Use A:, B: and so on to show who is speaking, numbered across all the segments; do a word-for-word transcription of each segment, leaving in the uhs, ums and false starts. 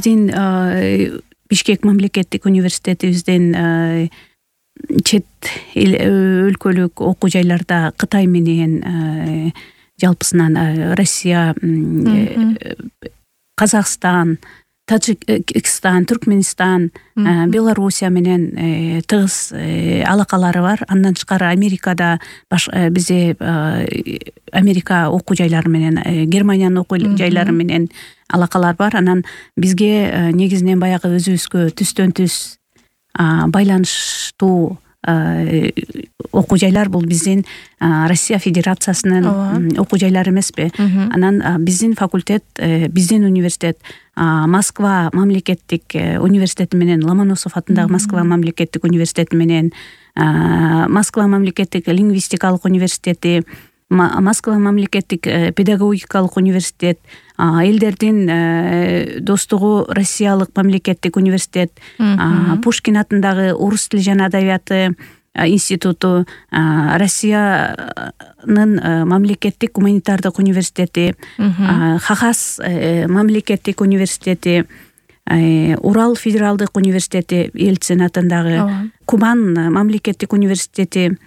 A: биздин Бишкек мамлекеттик университетибиздин чет өлкөлүк окуу жайларда Кытай менен жалпысынан Россия, Казакстан, Таджикстан, Түркменистан, Белоруссия менен тыгыз алакалары бар. Андан тышкары Америкада бизде Америка окуу жайлары менен, Германиянын окуу жайлары менен алакалар бар. Анан бизге негизинен баягы өзүбүзгө түстөн түз байланыштуу окуу жайлар бул биздин Россия Федерациясынын окуу жайлары эмеспи? Анан биздин факультет, биздин университет Москва мамлекеттик университети менен, Ломоносов атындагы Москва мамлекеттик университети менен, Москва мамлекеттик лингвистикалык университети, Москва мамлекеттик педагогикалык университет, элдердин достугу Россиялык мамлекеттик университет, Пушкин атындагы орус тили жана адабияты институту, Россиянын мамлекеттик гуманитардык университети, Хагас мамлекеттик университети, Урал федералдык университети Ельцин атындагы, Кубан мамлекеттик университети,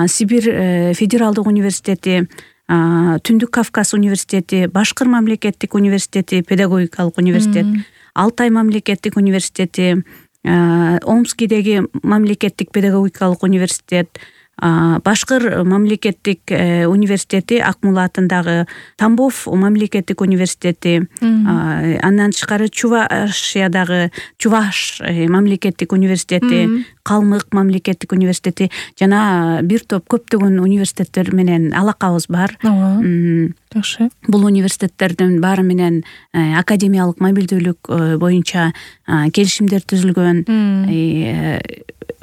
A: Сибирь федералдык университети, Түндүк Кавказ университети, Башкыр мамлекеттик университети, педагогикалык университет, Алтай мамлекеттик университети, Омскидеги мамлекеттик педагогикалык университет, Башкыр мамлекеттик университети, Акмула атындагы Тамбов мамлекеттик университети, андан тышкары Чувашиядагы Чуваш мамлекеттик университети, Калмык мамлекеттик университети жана бир топ көптөгөн университеттер менен алакабыз бар.
B: Жакшы.
A: Бул университеттердин баары менен академиялык мобилдүүлүк боюнча келишимдер түзүлгөн.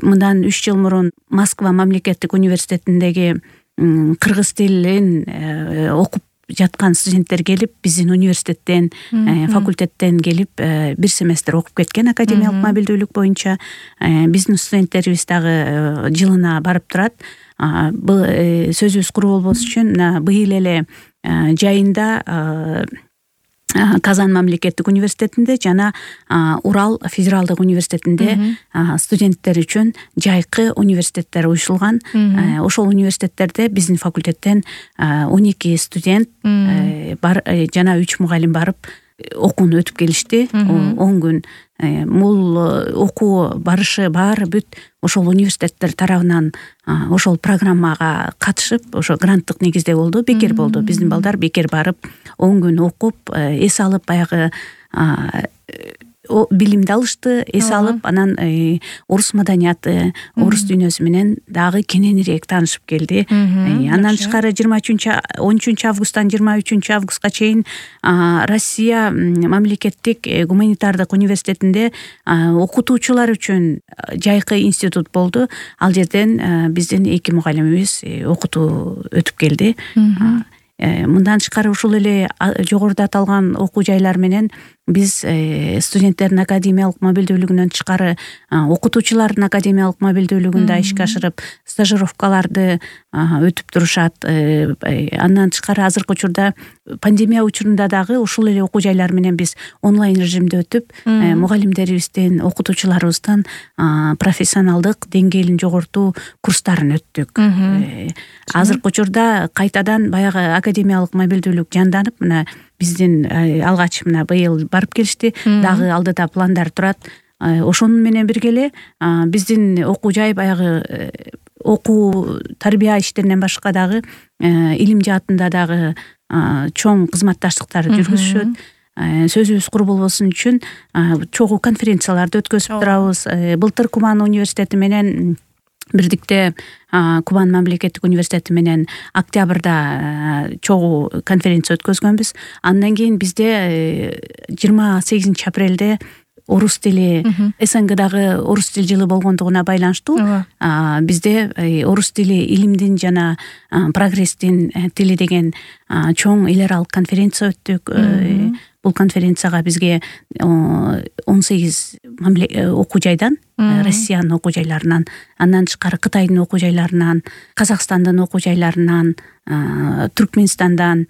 A: Мындан үч жыл мурун Москва мамлекеттик университетиндеги кыргыз тилин окуп жаткан студенттер келип, биздин университеттен, факультеттен келип, бир семестр окуп кеткен академиялык мобилдүүлүк боюнча. Биздин студенттерибиз дагы жылына барып турат. Бул сөзүбүз куру болбос үчүн быйыл эле жайында Казан мамлекеттик университетинде жана Урал федералдык университетинде студенттер үчүн жайкы университеттер уюшулган. Ошол университеттерде биздин факультеттен он эки студент бар жана үч мугалим барып окууну өтүп келишти. он күн бул окуу барышы баары бүт ошол университеттер тарабынан ошол программага катышып, ошо гранттык негизде болду, бекер болду. Биздин балдар бекер барып он күн окуп, эс алып, баягы билимди алышты, эс алып, анан орус маданияты, орус дүйнөсү менен дагы кененирээк таанышып келди. Андан тышкары жыйырма үчүнчү он үчүнчү августтан жыйырма үчүнчү августка чейин Россия мамлекеттик гуманитардык университетинде окутуучулар үчүн жайкы институт болду. Ал жерден биздин эки мугалимибиз окутуу өтүп келди. Мындан тышкары ушул эле жогоруда аталган окуу жайлар менен биз студенттердин академиялык мобилдүүлүгүнөн тышкары окутуучулардын академиялык мобилдүүлүгүн да ишке ашырып, стажировкаларды өтүп турушат. Андан тышкары азыркы учурда пандемия учурунда дагы ушул эле окуу жайлар менен биз онлайн режимде өтүп, мугалимдерибиздин, окутуучуларыбыздын профессионалдык деңгээлин жогортуу курстарын өттүк. Азыркы учурда кайтадан баягы академиялык мобилдүүлүк жанданып, мына биздин алгач мына быйыл барып келишти, дагы алдыда пландар турат. Ошону менен бирге эле биздин окуу жай баягы окуу тарбия иштеринен башка дагы илим жаатында дагы чоң кызматташтыктарды жүргүзүшөт. Сөзүбүз куру болбосун үчүн чогуу конференцияларды өткөзүп турабыз. Былтыр Кубан университети менен бирдикте Кубан мамлекеттик университети менен октябрда чогуу конференция өткөзгөнбүз. Андан кийин бизде жыйырма сегизинчи апрелде орус тили СНГдагы орус тил жылы болгондугуна байланыштуу бизде орус тили илимдин жана прогресстин тили деген чоң эл аралык конференция өттүк. бул конференцияга бизге он сегиз окуу жайдан, Россиянын окуу жайларынан, андан тышкары Кытайдын окуу жайларынан, Казакстандын окуу жайларынан, Түркмөнстандан,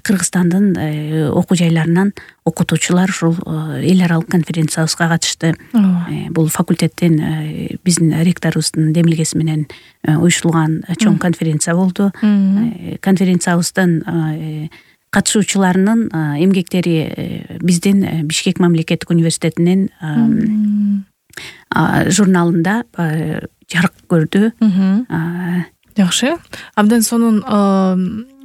A: Кыргызстандын окуу жайларынан окутуучулар ушул эл аралык конференциябызга катышты. Бул факультеттин биздин ректорубуздун демилгеси менен уюштурулган чоң конференция болду. Конференциябыздын катышуучуларынын эмгектери биздин Бишкек мамлекеттик университетинин журналында жарык көрдү.
B: Жакшы. Абдан сонун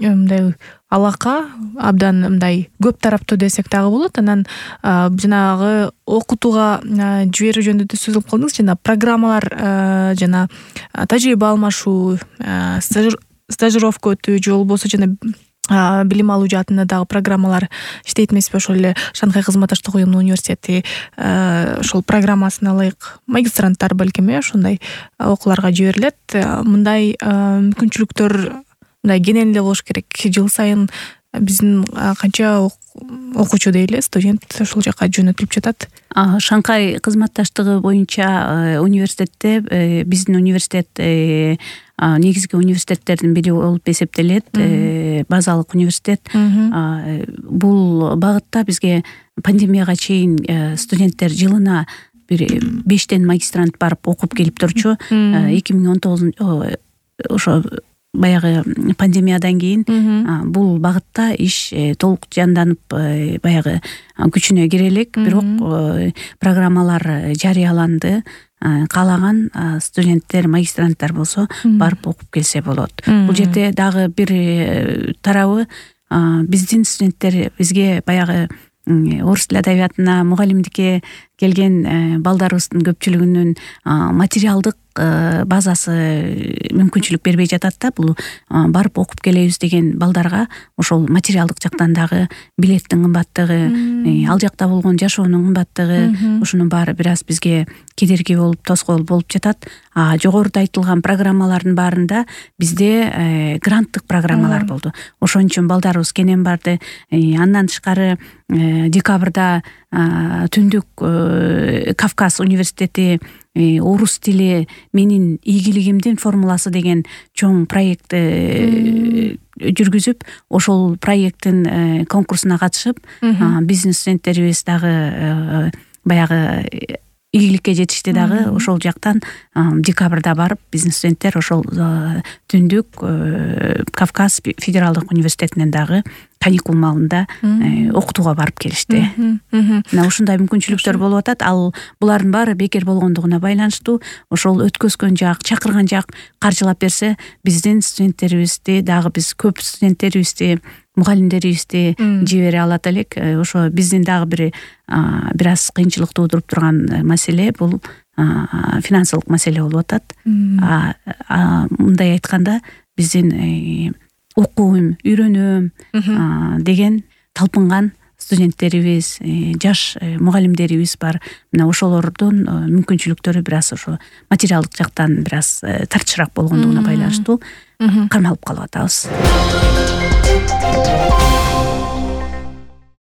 B: мындай алака, абдан мындай көп тараптуу десек дагы болот. Анан жанагы окутууга жиберүү жөнүндө сөз кылып калдыңыз. Жана программалар, жана тажрыйба алмашуу, стажировка өтүү же болбосо жана билим алуу жаатында дагы программалар иштейт эмеспи? Ошол эле Шанхай кызматташтык уюмунун университети ошол программасына ылайык магистранттар балким ошондой окууларга жиберилет. Мындай мүмкүнчүлүктөр мындай кенен эле болуш керек. Жыл сайын биздин канча окуучу дейли, студент ошол жака жөнөтүлүп жатат.
A: Шанхай кызматташтыгы боюнча университетте биздин университет негизги университеттердин бири болуп эсептелет. Базалык университет. Бул багытта бизге пандемияга чейин студенттер жылына бир бештен магистрант барып окуп келип турчу. эки миң он тогузунчу ошо баягы пандемиядан кийин бул багытта иш толук жанданып баягы күчүнө кире элек. Бирок программалар жарыяланды. Каалаган студенттер, магистранттар болсо барып окуп келсе болот. Бул жерде дагы бир тарабы биздин студенттер бизге баягы орус тил адабиятына мугалимдикке келген балдарыбыздын көпчүлүгүнүн материалдык базасы мүмкүнчүлүк бербей жатат да. Бул барып окуп келебиз деген балдарга ошол материалдык жактан дагы билеттин кымбаттыгы, ал жакта болгон жашоонун кымбаттыгы, ушунун баары бир аз бизге кедерги болуп, тоскоол болуп жатат. А жогоруда айтылган программалардын баарында бизде гранттык программалар болду. Ошон үчүн балдарыбыз кенен барды. Андан тышкары декабрда Түндүк Кавказ университети орус тили менин ийгилигимдин формуласы деген чоң проектти жүргүзүп, ошол проекттин конкурсуна катышып, биздин студенттерибиз дагы баягы ийгиликке жетишти дагы. Ошол жактан декабрда барып биздин студенттер ошол Түндүк Кавказ федералдык университетинен дагы каникул маалында окутууга барып келишти. Мына ушундай мүмкүнчүлүктөр болуп атат. Ал булардын баары бекер болгондугуна байланыштуу. Ошол өткөзгөн жак, чакырган жак каржылап берсе, биздин студенттерибизди дагы биз көп студенттерибизди, мугалимдерибизди жибере алат элек. Ошо биздин дагы бир бир аз кыйынчылык туудуруп турган маселе бул финансылык маселе болуп атат. Мындай айтканда биздин окуйм, үйрөнөм деген талпынган студенттерибиз, жаш мугалимдерибиз бар. Мына ошолордун мүмкүнчүлүктөрү бир аз ошо материалдык жактан бир аз тартышыраак болгондугуна байланыштуу кармалып калып атабыз.